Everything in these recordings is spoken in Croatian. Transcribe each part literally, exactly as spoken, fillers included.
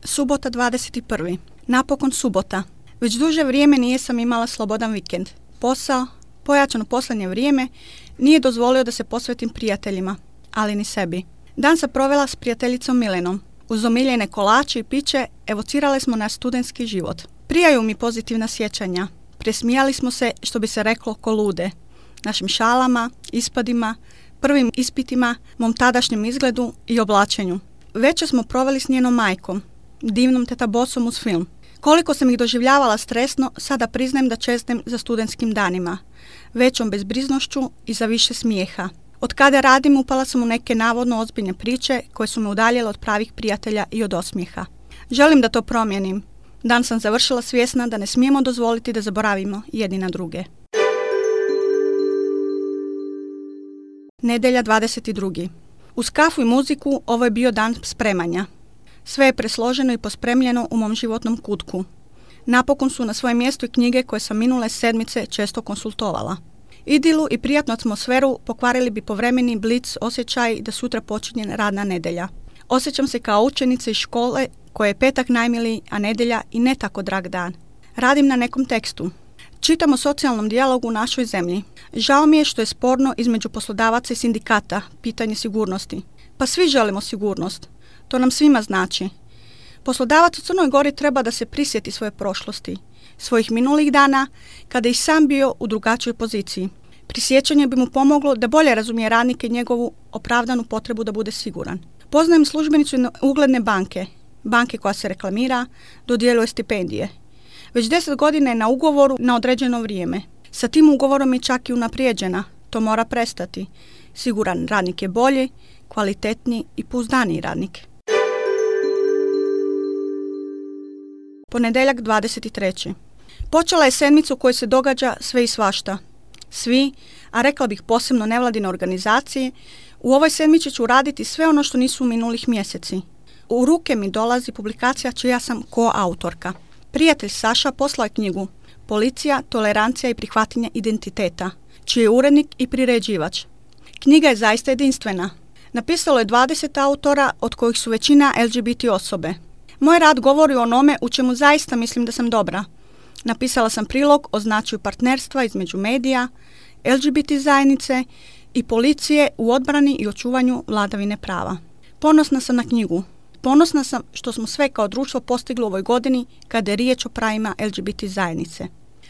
Subota dvadeset prva Napokon subota. Već duže vrijeme nije sam imala slobodan vikend. Posao, pojačano posljednje vrijeme, nije dozvolio da se posvetim prijateljima, ali ni sebi. Dan sam provela s prijateljicom Milenom. Uz omiljene kolače i piće evocirale smo naš studentski život. Prijaju mi pozitivna sjećanja. Presmijali smo se, što bi se reklo, ko lude. Našim šalama, ispadima, prvim ispitima, mom tadašnjem izgledu i oblačenju. Večer smo proveli s njenom majkom, divnom teta Bosom uz film. Koliko sam ih doživljavala stresno, sada priznajem da čeznem za studentskim danima. Većom bezbriznošću i za više smijeha. Od kada radim upala sam u neke navodno ozbiljne priče koje su me udaljile od pravih prijatelja i od osmijeha. Želim da to promijenim. Dan sam završila svjesna da ne smijemo dozvoliti da zaboravimo jedni na druge. Nedjelja dvadeset druga Uz kafu i muziku ovo je bio dan spremanja. Sve je presloženo i pospremljeno u mom životnom kutku. Napokon su na svojem mjestu i knjige koje sam minule sedmice često konsultovala. Idilu i prijatnu atmosferu pokvarili bi povremeni blic osjećaj da sutra počinje radna nedjelja. Osjećam se kao učenica iz škole koje je petak najmiliji, a nedjelja i ne tako drag dan. Radim na nekom tekstu. Čitam o socijalnom dijalogu u našoj zemlji. Žao mi je što je sporno između poslodavaca i sindikata pitanje sigurnosti. Pa svi želimo sigurnost. To nam svima znači. Poslodavac u Crnoj Gori treba da se prisjeti svoje prošlosti, svojih minulih dana, kada je i sam bio u drugačijoj poziciji. Prisjećanje bi mu pomoglo da bolje razumije radnike i njegovu opravdanu potrebu da bude siguran. Poznajem službenicu ugledne banke, banke koja se reklamira, dodjeljuje stipendije. Već deset godina je na ugovoru na određeno vrijeme. Sa tim ugovorom je čak i unaprijeđena. To mora prestati. Siguran radnik je bolji, kvalitetniji i pouzdaniji radnik. Ponedjeljak dvadeset treća Počela je sedmica u kojoj se događa sve i svašta. Svi, a rekla bih posebno nevladine organizacije, u ovoj sedmici ću raditi sve ono što nisu u minulih mjeseci. U ruke mi dolazi publikacija čija sam koautorka. Prijatelj Saša poslao je knjigu Policija, tolerancija i prihvatanje identiteta, čiji je urednik i priređivač. Knjiga je zaista jedinstvena. Napisalo je dvadeset autora, od kojih su većina L G B T osobe. Moj rad govori o onome u čemu zaista mislim da sam dobra. Napisala sam prilog o značaju partnerstva između medija, L G B T zajednice i policije u odbrani i očuvanju vladavine prava. Ponosna sam na knjigu. Ponosna sam što smo sve kao društvo postigli u ovoj godini kada je riječ o pravima L G B T zajednice.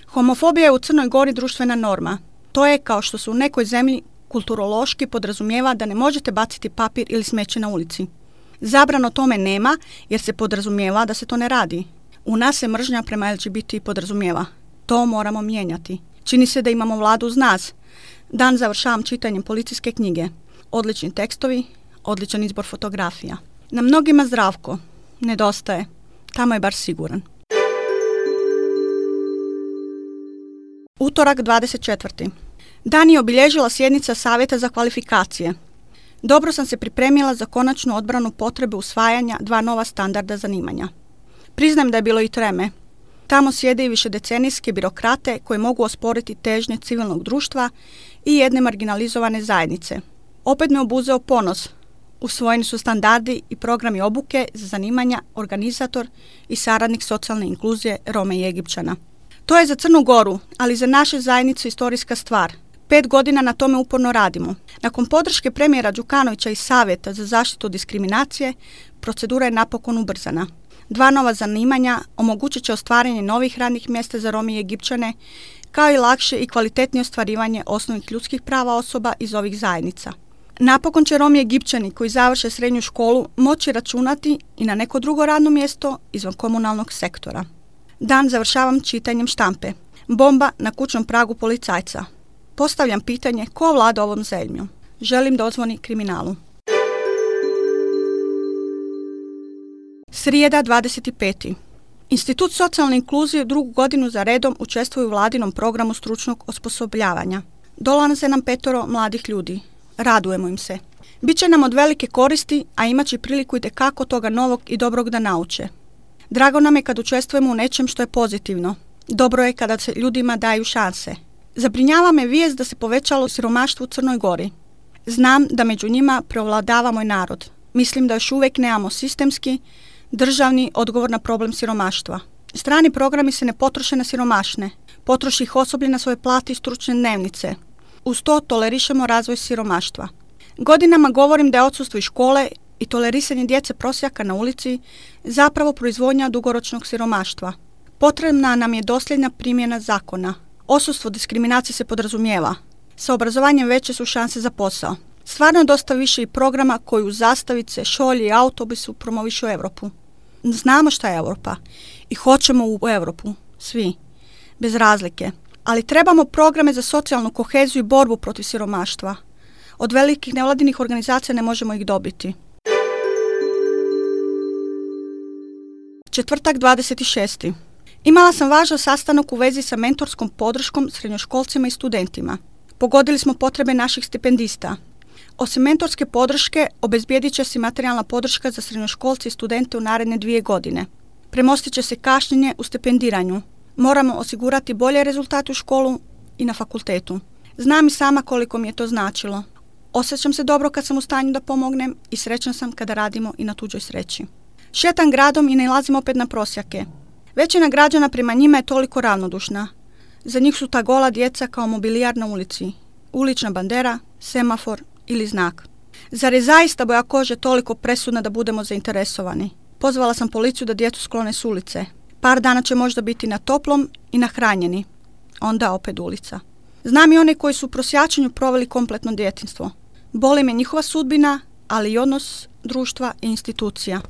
Homofobija je u Crnoj Gori društvena norma. To je kao što se u nekoj zemlji kulturološki podrazumijeva da ne možete baciti papir ili smeće na ulici. Zabrano tome nema jer se podrazumijeva da se to ne radi. U nas se mržnja prema L G B T podrazumijeva. To moramo mijenjati. Čini se da imamo vladu uz nas. Dan završavam čitanjem policijske knjige. Odlični tekstovi, odličan izbor fotografija. Na mnogima Zdravko nedostaje. Tamo je bar siguran. Utorak dvadeset četvrta Dan je obilježila sjednica Savjeta za kvalifikacije. Dobro sam se pripremila za konačnu odbranu potrebe usvajanja dva nova standarda zanimanja. Priznajem da je bilo i treme. Tamo sjede i višedecenijske birokrate koji mogu osporiti težnje civilnog društva i jedne marginalizovane zajednice. Opet me obuzeo ponos. Usvojeni su standardi i programi obuke za zanimanja organizator i saradnik socijalne inkluzije Rome i Egipćana. To je za Crnu Goru, ali za naše zajednice istorijska stvar. Pet godina na tome uporno radimo. Nakon podrške premijera Đukanovića i Savjeta za zaštitu od diskriminacije, procedura je napokon ubrzana. Dva nova zanimanja omogućit će ostvarenje novih radnih mjesta za Rome i Egipćane, kao i lakše i kvalitetnije ostvarivanje osnovnih ljudskih prava osoba iz ovih zajednica. Napokon će Romi i Egipćani koji završe srednju školu moći računati i na neko drugo radno mjesto izvan komunalnog sektora. Dan završavam čitanjem štampe. Bomba na kućnom pragu policajca. Postavljam pitanje ko vlada ovom zemljom. Želim da odzvoni kriminalu. Srijeda dvadeset peta Institut socijalne inkluzije drugu godinu za redom učestvuje u vladinom programu stručnog osposobljavanja. Dolaze nam petoro mladih ljudi. Radujemo im se. Biće nam od velike koristi, a imat će priliku i tekako toga novog i dobrog da nauče. Drago nam je kad učestvujemo u nečem što je pozitivno. Dobro je kada se ljudima daju šanse. Zabrinjava me vijest da se povećalo siromaštvo u Crnoj Gori. Znam da među njima preovladava moj narod. Mislim da još uvijek nemamo sistemski, Državni odgovor na problem siromaštva. Strani programi se ne potroše na siromašne. Potroši ih osoblje na svoje plate i stručne dnevnice. Uz to tolerišemo razvoj siromaštva. Godinama govorim da je odsustvo iz škole i tolerisanje djece prosjaka na ulici zapravo proizvodnja dugoročnog siromaštva. Potrebna nam je dosljedna primjena zakona. Odsustvo diskriminacije se podrazumijeva. Sa obrazovanjem veće su šanse za posao. Stvarno je dosta više i programa koji u zastavice, šolji i autobusu promovišu Europu. Znamo šta je Europa i hoćemo u Europu, svi, bez razlike. Ali trebamo programe za socijalnu koheziju i borbu protiv siromaštva. Od velikih nevladinih organizacija ne možemo ih dobiti. Četvrtak dvadeset šesti Imala sam važan sastanak u vezi sa mentorskom podrškom srednjoškolcima i studentima. Pogodili smo potrebe naših stipendista. Osim mentorske podrške, obezbijedit će se materijalna podrška za srednjoškolce i studente u naredne dvije godine. Premostit će se kašnjenje u stipendiranju. Moramo osigurati bolje rezultate u školu i na fakultetu. Znam i sama koliko mi je to značilo. Osjećam se dobro kad sam u stanju da pomognem i srećan sam kada radimo i na tuđoj sreći. Šetam gradom i nailazim opet na prosjake. Većina građana prema njima je toliko ravnodušna. Za njih su ta gola djeca kao mobilijar na ulici. Ulična bandera, semafor ili znak. Zar je zaista boja kože toliko presudna da budemo zainteresovani? Pozvala sam policiju da djecu sklone s ulice. Par dana će možda biti na toplom i nahranjeni. Onda opet ulica. Znam i one koji su u prosjačenju proveli kompletno djetinjstvo. Boli me njihova sudbina, ali i odnos društva i institucija.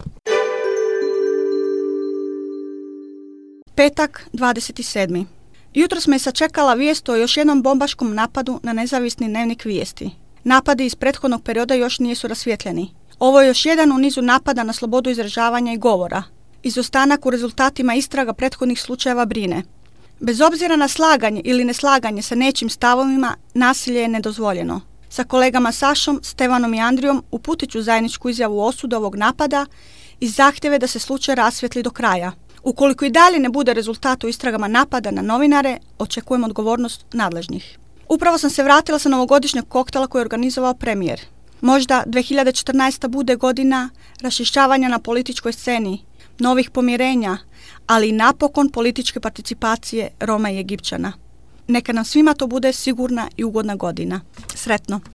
Petak dvadeset sedmi Jutros me je sačekala vijest o još jednom bombaškom napadu na nezavisni dnevnik Vijesti. Napadi iz prethodnog perioda još nisu rasvjetljeni. Ovo je još jedan u nizu napada na slobodu izražavanja i govora. Izostanak u rezultatima istraga prethodnih slučajeva brine. Bez obzira na slaganje ili neslaganje sa nečim stavovima, nasilje je nedozvoljeno. Sa kolegama Sašom, Stevanom i Andrijom uputit ću zajedničku izjavu osude ovog napada i zahtjeve da se slučaj rasvijetli do kraja. Ukoliko i dalje ne bude rezultat u istragama napada na novinare, očekujem odgovornost nadležnih. Upravo sam se vratila sa novogodišnjeg koktela koji je organizovao premijer. Možda dvije hiljade četrnaesta. bude godina raščišćavanja na političkoj sceni, novih pomirenja, ali i napokon političke participacije Roma i Egipćana. Neka nam svima to bude sigurna i ugodna godina. Sretno!